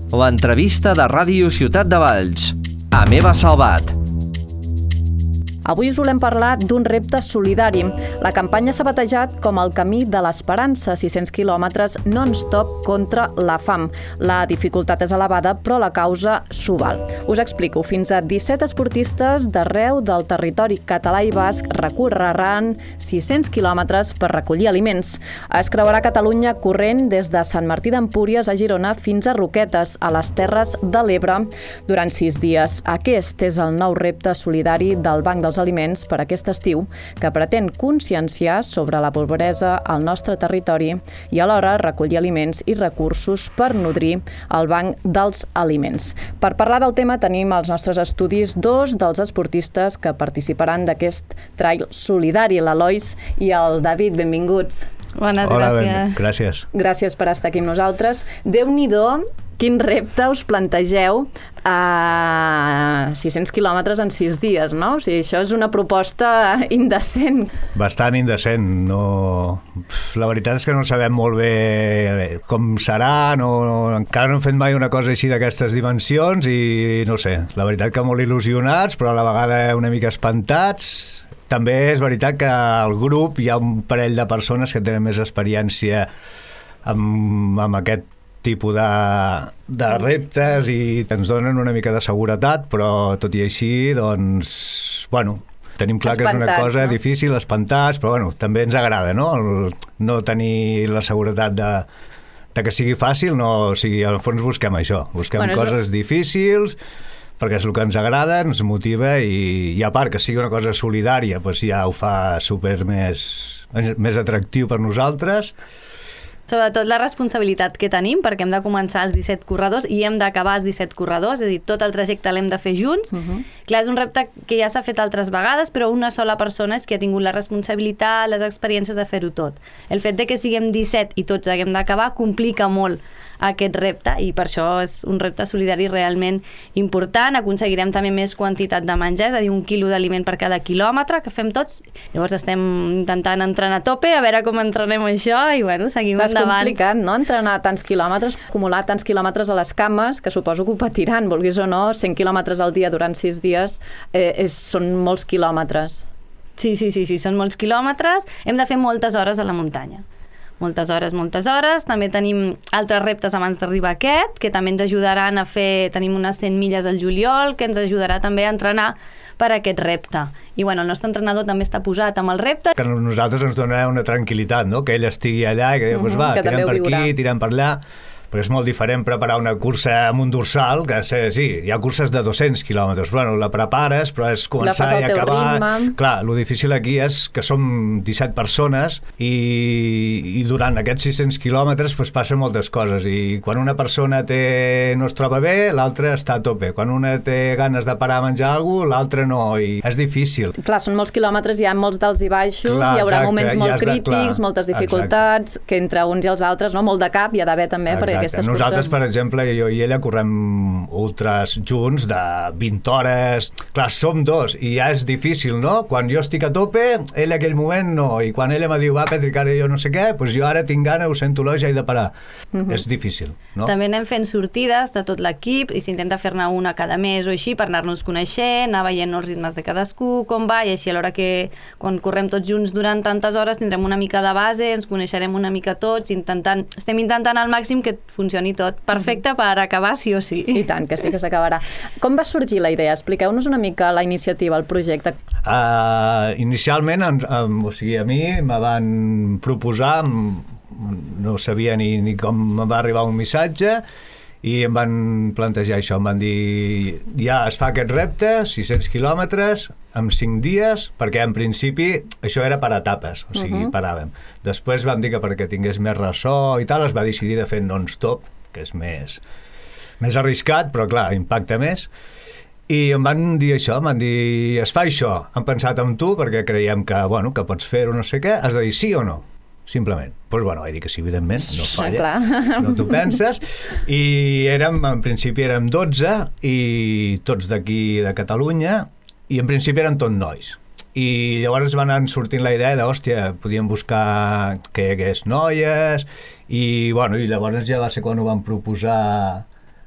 L'entrevista de Ràdio Ciutat de Valls. Amb Eva Salvat. Avui us volem parlar d'un repte solidari. La campanya s'ha batejat com el camí de l'esperança, 600 quilòmetres non-stop contra la fam. La dificultat és elevada, però la causa s'ho val. Us explico. Fins a 17 esportistes d'arreu del territori català i basc recorreran 600 quilòmetres per recollir aliments. Es creuarà Catalunya corrent des de Sant Martí d'Empúries a Girona fins a Roquetes, a les Terres de l'Ebre, durant 6 dies. Aquest és el nou repte solidari del Banc dels Aliments per aquest estiu, que pretén conscienciar sobre la pobresa al nostre territori i alhora recollir aliments i recursos per nodrir el Banc dels Aliments. Per parlar del tema tenim als nostres estudis dos dels esportistes que participaran d'aquest trail solidari, l'Elois i el David. Benvinguts. Bones, Hola, gràcies. Gràcies. Gràcies per estar aquí amb nosaltres. Déu-n'hi-do, quin repte us plantegeu a 600 quilòmetres en 6 dies, no? O sigui, això és una proposta indecent. Bastant indecent. No... La veritat és que no sabem molt bé com serà, encara no hem fet mai una cosa així d'aquestes dimensions i no sé, la veritat que molt il·lusionats, però a la vegada una mica espantats. També és veritat que al grup hi ha un parell de persones que tenen més experiència amb aquest tipus de reptes i ens donen una mica de seguretat, però tot i així, doncs, bueno, tenim clar que és una cosa difícil, espantats, però bueno, també ens agrada, no tenir la seguretat de que sigui fàcil, no, o sigui, al fons busquem això, busquem coses difícils, perquè és el que ens agrada, ens motiva i a part que sigui una cosa solidària, doncs ja ho fa super més atractiu per nosaltres. Sobretot la responsabilitat que tenim, perquè hem de començar els 17 corredors i hem d'acabar els 17 corredors, és a dir, tot el trajecte l'hem de fer junts. Clar, és un repte que ja s'ha fet altres vegades, però una sola persona és que ha tingut la responsabilitat, les experiències de fer-ho tot. El fet de que siguem 17 i tots haguem d'acabar complica molt aquest repte i per això és un repte solidari realment important. Aconseguirem també més quantitat de menjar, és a dir, 1 quilo d'aliment per cada quilòmetre que fem tots. Llavors estem intentant entrenar a tope, a veure com entrenem això i bueno, seguim endavant. És complicat, no?, entrenar tants quilòmetres, acumular tants quilòmetres a les cames, que suposo que ho patiran, vulguis o no, 100 quilòmetres al dia durant 6 dies són molts quilòmetres. Sí, són molts quilòmetres. Hem de fer moltes hores a la muntanya. Moltes hores. També tenim altres reptes abans d'arribar a aquest, que també ens ajudaran a fer... Tenim unes 100 milles al juliol, que ens ajudarà també a entrenar per a aquest repte. I bueno, el nostre entrenador també està posat amb el repte. Que a nosaltres ens dona una tranquil·litat, no?, que ell estigui allà i que diu, va, tirem per aquí, tirem per allà. Perquè és molt diferent preparar una cursa amb un dorsal, que sí, hi ha curses de 200 quilòmetres, però bueno, la prepares, però és començar i acabar. Clar, el difícil aquí és que som 17 persones i durant aquests 600 quilòmetres pues, passen moltes coses i quan una persona no es troba bé, l'altra està a tope. Quan una té ganes de parar a menjar alguna cosa, l'altra no, i és difícil. Clar, són molts quilòmetres, hi ha molts d'alts i baixos, hi haurà moments molt crítics, moltes dificultats, que entre uns i els altres, no? Molt de cap hi ha d'haver també, perquè nosaltres, per exemple, jo i ella correm ultras junts de 20 hores. Clar, som dos i ja és difícil, no? Quan jo estic a tope, ell en aquell moment no. I quan ella me diu, va, Patrick, ara jo no sé què, doncs jo ara tinc gana, ho sento l'oix, he de parar. És difícil, no? També anem fent sortides de tot l'equip i s'intenta fer-ne una cada mes o així per anar-nos coneixent, anar veient els ritmes de cadascú, com va, i així a l'hora que quan correm tots junts durant tantes hores tindrem una mica de base, ens coneixerem una mica tots, estem intentant al màxim que funcioni tot perfecte per acabar sí o sí. I tant, que sí que s'acabarà. Com va sorgir la idea? Expliqueu-nos una mica la iniciativa, el projecte. Inicialment, o sigui, a mi me van proposar, no sabia ni com me va arribar un missatge, i em van plantejar això, em van dir ja es fa aquest repte, 600 quilòmetres en 5 dies, perquè en principi això era per etapes, o sigui, paràvem. Després vam dir que perquè tingués més ressò i tal, es va decidir de fer non-stop, que és més arriscat, però clar, impacta més. I em van dir això, em van dir es fa això, hem pensat en tu perquè creiem que, bueno, que pots fer-ho, no sé què, has de dir sí o no. Simplement. Doncs bueno, vaig dir que sí, evidentment, no falla, no t'ho penses. I en principi érem 12 i tots d'aquí de Catalunya i en principi eren tot nois. I llavors van anar sortint la idea de, hòstia, podíem buscar que hi hagués noies i, bueno, i llavors ja va ser quan ho van proposar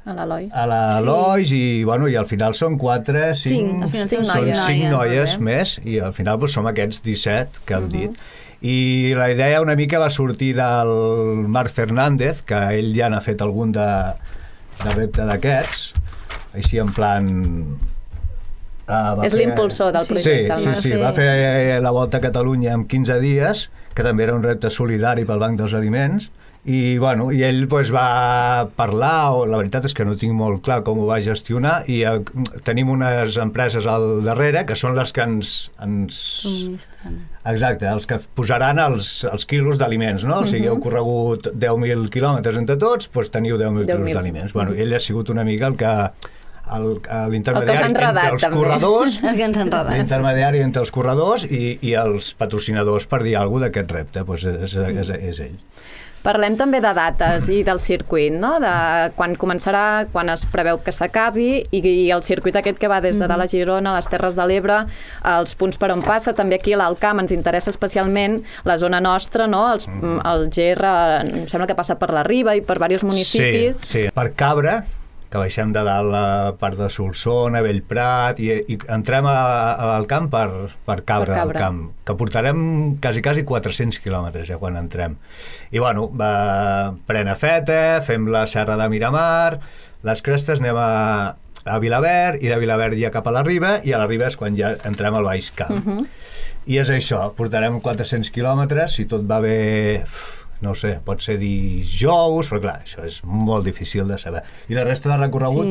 A l'Elois. A l'Elois, i al final són 4, 5 noies més, i al final som aquests 17 que hem dit. I la idea una mica va sortir del Marc Fernández, que ell ja n'ha fet algun de repte d'aquests, així en plan... És l'impulsor del projecte. Sí, va fer la Volta a Catalunya en 15 dies, que també era un repte solidari pel Banc dels Aliments, i ell va parlar, la veritat és que no tinc molt clar com ho va gestionar, i tenim unes empreses al darrere que són les que ens... Exacte, els que posaran els quilos d'aliments, no? O sigui, heu corregut 10.000 quilòmetres entre tots, doncs teniu 10.000 quilos d'aliments. Ell ha sigut una mica el que... l'intermediari entre els corredors, l'intermediari entre els corredors i els patrocinadors, per dir alguna cosa d'aquest repte, és ell. Parlem també de dates i del circuit, no? De quan començarà, quan es preveu que s'acabi, i el circuit aquest que va des de dalt a Girona, a les Terres de l'Ebre, els punts per on passa, també aquí a l'Alt Camp ens interessa especialment la zona nostra, no? El GR, em sembla que passa per la Riba i per diversos municipis. Sí, per Cabra, que baixem de dalt a part de Solsona, Bellprat, i entrem al camp per Cabra del Camp, que portarem quasi 400 quilòmetres ja quan entrem. I pren a Feta, fem la Serra de Miramar, les Crestes, anem a Vilaverd, i de Vilaverd ja cap a la Riba, i a la Riba és quan ja entrem al Baix Camp. I és això, portarem 400 quilòmetres, si tot va bé... no sé, pot ser dijous, però clar, això és molt difícil de saber. I la resta de recorregut,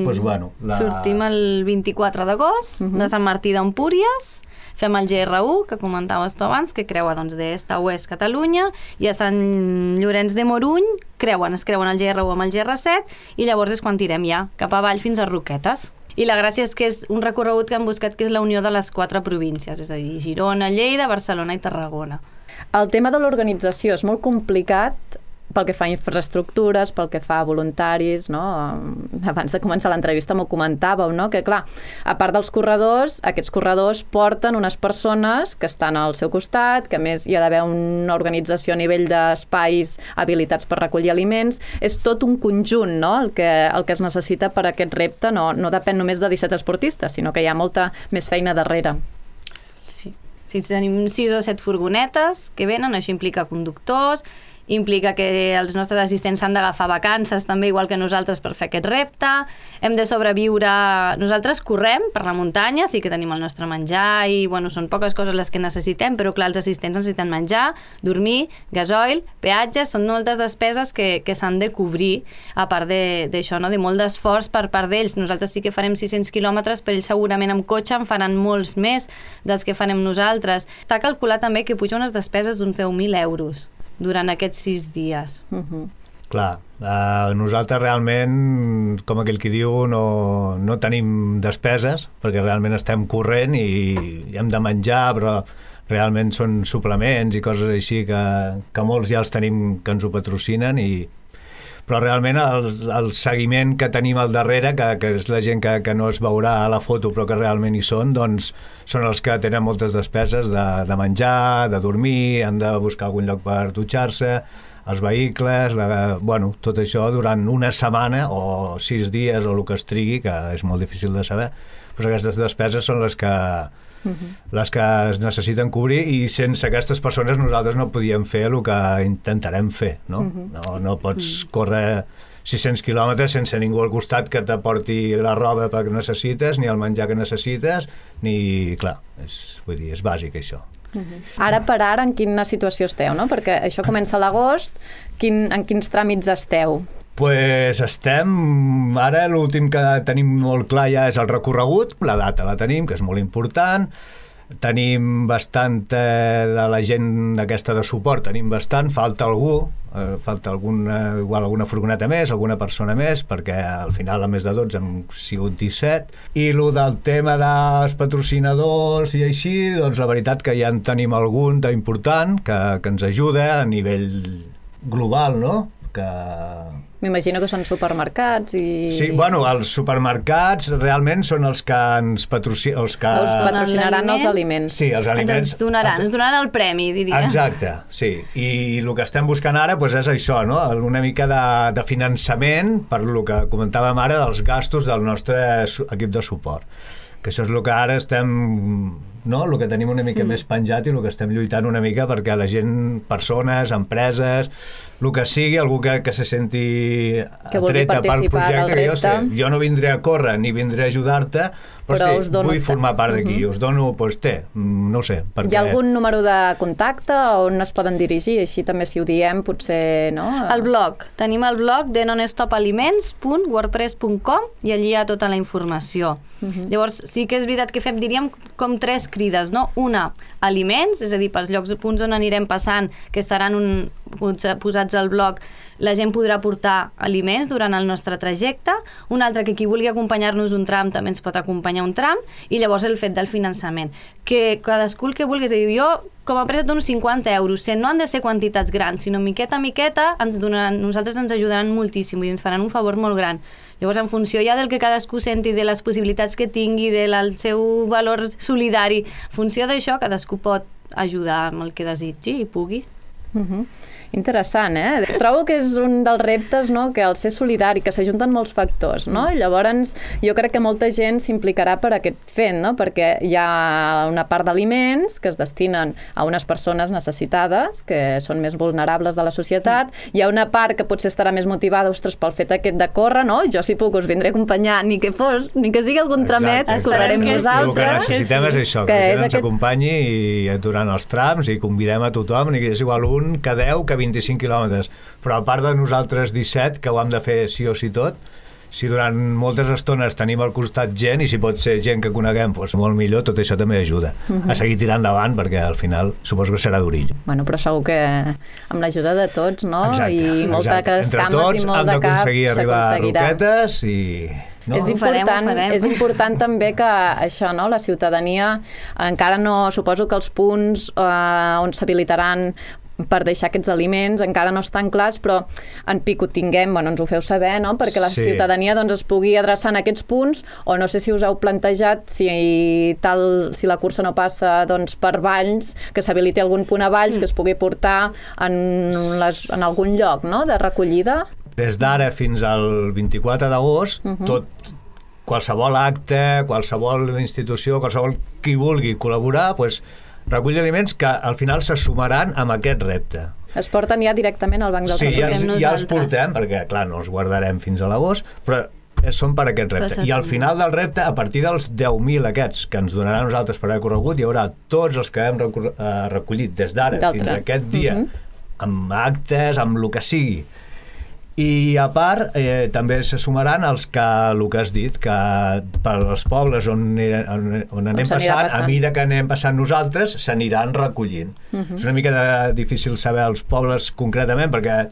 Sortim el 24 d'agost, de Sant Martí d'Empúries, fem el GR1, que comentaves tu abans, que creua d'est a oest Catalunya, i a Sant Llorenç de Morunys es creuen el GR1 amb el GR7, i llavors és quan tirem ja cap avall fins a Roquetes. I la gràcia és que és un recorregut que han buscat que és la unió de les 4 províncies, és a dir, Girona, Lleida, Barcelona i Tarragona. El tema de l'organització és molt complicat pel que fa a infraestructures, pel que fa a voluntaris, no? Abans de començar l'entrevista m'ho comentàveu, no? Que clar, a part dels corredors, aquests corredors porten unes persones que estan al seu costat, que a més hi ha d'haver una organització a nivell d'espais habilitats per recollir aliments. És tot un conjunt, no? El que es necessita per a aquest repte no depèn només de 17 esportistes, sinó que hi ha molta més feina darrere. Sí, tenim 6 o 7 furgonetes que venen, això implica conductors, implica que els nostres assistents s'han d'agafar vacances també igual que nosaltres per fer aquest repte, hem de sobreviure, nosaltres correm per la muntanya, sí que tenim el nostre menjar i són poques coses les que necessitem, però clar, els assistents necessiten menjar, dormir, gasoil, peatges, són moltes despeses que s'han de cobrir, a part d'això, no? De molt d'esforç per part d'ells. Nosaltres sí que farem 600 quilòmetres, però ells segurament amb cotxe en faran molts més dels que farem nosaltres. Està calculat també que puja unes despeses d'uns 10.000 euros durant aquests 6 dies. Clar, nosaltres realment, com aquell qui diu, no tenim despeses, perquè realment estem corrent i hem de menjar, però realment són suplements i coses així que molts ja els tenim que ens ho patrocinen, però realment el seguiment que tenim al darrere, que és la gent que no es veurà a la foto però que realment hi són, doncs són els que tenen moltes despeses de menjar, de dormir, han de buscar algun lloc per dutxar-se, els vehicles, tot això durant una setmana o 6 dies o el que es trigui, que és molt difícil de saber, però aquestes despeses són les que es necessiten cobrir, i sense aquestes persones nosaltres no podíem fer el que intentarem fer, no? No pots córrer 600 quilòmetres sense ningú al costat que t'aporti la roba que necessites, ni el menjar que necessites, ni... Clar, és bàsic això. Ara per ara, en quina situació esteu, no? Perquè això comença a l'agost, en quins tràmits esteu? Pues estem... Ara l'últim que tenim molt clar ja és el recorregut, la data la tenim, que és molt important, tenim bastant de la gent aquesta de suport, tenim bastant, falta algú, falta igual alguna furgoneta més, alguna persona més, perquè al final a més de 12 hem sigut 17, i el del tema dels patrocinadors i així, doncs la veritat que ja en tenim algun d'important que ens ajuda a nivell global, no? Que M'imagino que són supermercats i... Sí, bueno, els supermercats realment són els que ens patrocinaran els aliments. Sí, els aliments. Ens donaran el premi, diria. Exacte, sí. I el que estem buscant ara doncs, és això, no? Una mica de finançament per el que comentàvem ara dels gastos del nostre equip de suport. Que això és el que ara estem... No? El que tenim una mica més penjat i el que estem lluitant una mica perquè la gent, persones, empreses, el que sigui, algú que se senti atreta pel projecte, que jo no vindré a córrer ni vindré a ajudar-te, però vull formar part d'aquí, us dono, doncs no ho sé. Hi ha algun número de contacte on es poden dirigir? Així també si ho diem potser, no? El blog. Tenim el blog de nonstopaliments.wordpress.com i allí hi ha tota la informació. Llavors sí que és veritat que fem, diríem, com 3 crides, no? Una, aliments, és a dir, pels punts on anirem passant, que estaran posats al blog, la gent podrà portar aliments durant el nostre trajecte. Un altre, que qui vulgui acompanyar-nos un tram també ens pot acompanyar un tram, i llavors el fet del finançament. Que cadascú el que vulgui, és a dir, jo com a empresa dono 50 euros, no han de ser quantitats grans, sinó miqueta a miqueta, nosaltres ens ajudaran moltíssim i ens faran un favor molt gran. Llavors, en funció ja del que cadascú senti, de les possibilitats que tingui, del seu valor solidari, en funció d'això, cadascú pot ajudar amb el que desitgi i pugui. Interessant, eh? Trobo que és un dels reptes, no?, que al ser solidari, que s'ajunten molts factors, no? I llavors jo crec que molta gent s'implicarà per aquest fet, no? Perquè hi ha una part d'aliments que es destinen a unes persones necessitades, que són més vulnerables de la societat, hi ha una part que potser estarà més motivada, ostres, pel fet aquest de córrer, no? Jo si puc us vindré a acompanyar, ni que sigui algun tramet, correrem nosaltres. El que necessitem és això, que la gent ens acompanyi durant els trams i convidem a tothom, i és igual un que 10, que 25 quilòmetres, però a part de nosaltres 17, que ho hem de fer sí o sí tot, si durant moltes estones tenim al costat gent, i si pot ser gent que coneguem, doncs molt millor, tot això també ajuda a seguir tirant endavant, perquè al final suposo que serà d'origen. Bueno, però segur que amb l'ajuda de tots, no? Exacte, i molta cames i molt de cap, s'aconseguirà. Entre tots hem d'aconseguir arribar a Roquetes i... No? És important també que això, no? La ciutadania encara no, suposo que els punts on s'habilitaran per deixar aquests aliments encara no estan clars, però en pic ho tinguem, bueno, ens ho feu saber, no? Perquè la ciutadania doncs, es pugui adreçar en aquests punts, o no sé si us heu plantejat si la cursa no passa doncs, per Valls, que s'habiliti algun punt a Valls que es pugui portar en algun lloc, no?, de recollida. Des d'ara fins al 24 d'agost, qualsevol acte, qualsevol institució, qualsevol qui vulgui col·laborar, doncs recollir aliments que al final se sumaran amb aquest repte. Es porten ja directament al banc dels aliments. Sí, ja els portem, perquè clar, no els guardarem fins a l'agost, però són per aquest repte. I al final del repte, a partir dels 10.000 aquests que ens donaran nosaltres per haver corregut, hi haurà tots els que hem recollit des d'ara fins a aquest dia, amb actes, amb el que sigui. I a part també se sumaran els que, el que has dit, que per als pobles on anem passant, a mesura que anem passant nosaltres, s'aniran recollint. És una mica difícil saber els pobles concretament, perquè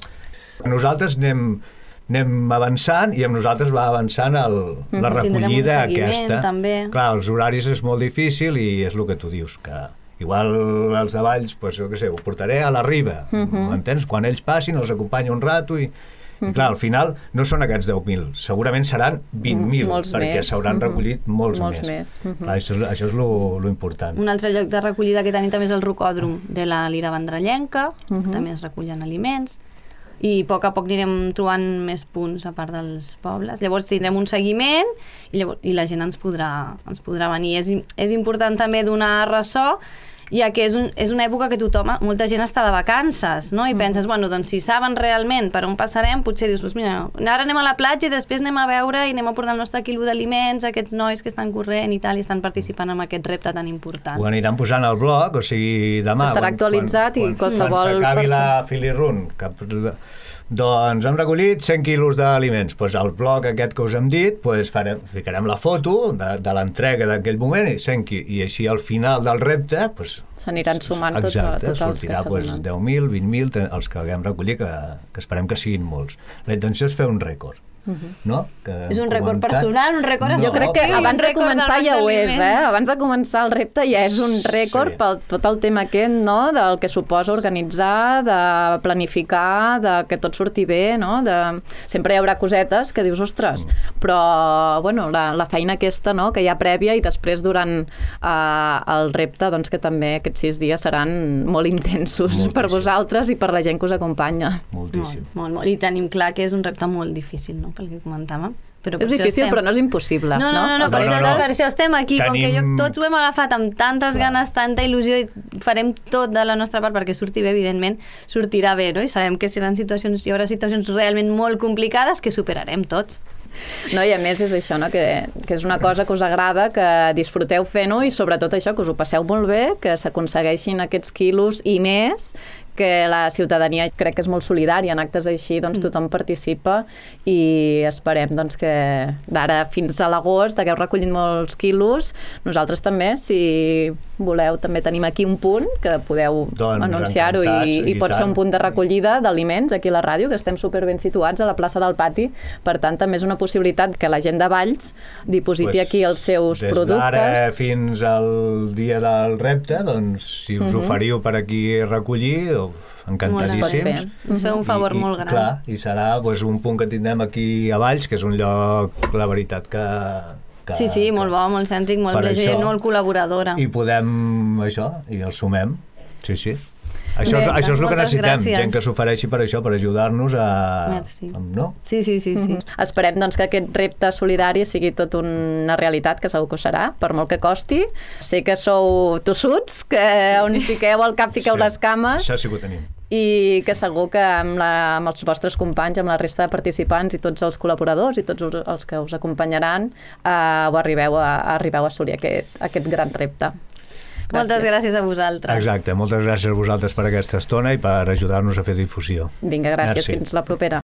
nosaltres anem avançant i amb nosaltres va avançant la recollida aquesta. Clar, els horaris és molt difícil i és el que tu dius, que igual els de Valls, doncs, jo què sé, ho portaré a la Riba, m'entens? Quan ells passin, els acompanyo un rato i clar, al final no són aquests 10.000, segurament seran 20.000, perquè s'hauran recollit molts més. Clar, això és lo important. Un altre lloc de recollida que tenim també és el rocòdrom de la Lira Vendrellenca, també es recullen aliments, i a poc anirem trobant més punts a part dels pobles. Llavors tindrem un seguiment i la gent ens podrà venir. És important també donar ressò, ja que és una època que molta gent està de vacances, no? I penses, bueno, doncs si saben realment per on passarem, potser dius, mira, ara anem a la platja i després anem a veure i anem a portar el nostre quilo d'aliments, aquests nois que estan corrent i tal, i estan participant en aquest repte tan important. Ho aniran posant al blog, o sigui, demà. Estarà actualitzat i qualsevol... Quan s'acabi la Filirun, doncs hem recollit 100 quilos d'aliments. Doncs al blog aquest que us hem dit, ficarem la foto de l'entrega d'aquell moment i així al final del repte s'aniran sumant tots els que sortirà 10.000, 20.000, els que haguem recollit, que esperem que siguin molts. La intenció és fer un rècord. no? És un rècord personal, un rècord Jo crec que abans de començar ja ho és, Abans de començar el repte ja és un rècord pel tot el tema aquest, no? Del que suposa organitzar, de planificar, de que tot surti bé, no? Sempre hi haurà cosetes que dius, ostres, però, bueno, la feina aquesta, no?, que hi ha prèvia i després durant el repte, doncs que també aquests 6 dies seran molt intensos per vosaltres i per la gent que us acompanya. Moltíssim. Molt. I tenim clar que és un repte molt difícil, no?, pel que comentàvem. És difícil, però no és impossible. No, per això estem aquí. Com que tots ho hem agafat amb tantes ganes, tanta il·lusió, i farem tot de la nostra part perquè surti bé, evidentment, sortirà bé, no? I sabem que hi haurà situacions realment molt complicades que superarem tots. No, i a més és això, no? Que és una cosa que us agrada, que disfruteu fent-ho i sobretot això, que us ho passeu molt bé, que s'aconsegueixin aquests quilos i més, que la ciutadania crec que és molt solidària en actes així, doncs tothom participa i esperem doncs, que d'ara fins a l'agost hagueu recollit molts quilos. Nosaltres també, si voleu, també tenim aquí un punt que podeu anunciar-ho i pot ser un punt de recollida d'aliments aquí a la ràdio, que estem superben situats a la plaça del Pati, per tant també és una possibilitat que la gent de Valls dipositi aquí els seus productes. Des d'ara fins al dia del repte, doncs si us oferiu per aquí recollir, encantadíssims. Ens feu un favor molt gran. Clar, i serà un punt que tindrem aquí a Valls, que és un lloc, la veritat, que sí, molt bo, molt cèntric, molt gent, molt col·laboradora. I podem, i el sumem. Sí. Això és el que necessitem, gent que s'ofereixi per això, per ajudar-nos a... Merci. No? Sí. Esperem doncs, que aquest repte solidari sigui tot una realitat, que segur que ho serà, per molt que costi. Sé que sou tossuts, que on fiqueu el cap fiqueu les cames. Això sí que ho tenim. I que segur que amb els vostres companys, amb la resta de participants i tots els col·laboradors i tots els que us acompanyaran, arribeu a assolir aquest gran repte. Moltes gràcies a vosaltres. Exacte, moltes gràcies a vosaltres per aquesta estona i per ajudar-nos a fer difusió. Vinga, gràcies. Fins la propera.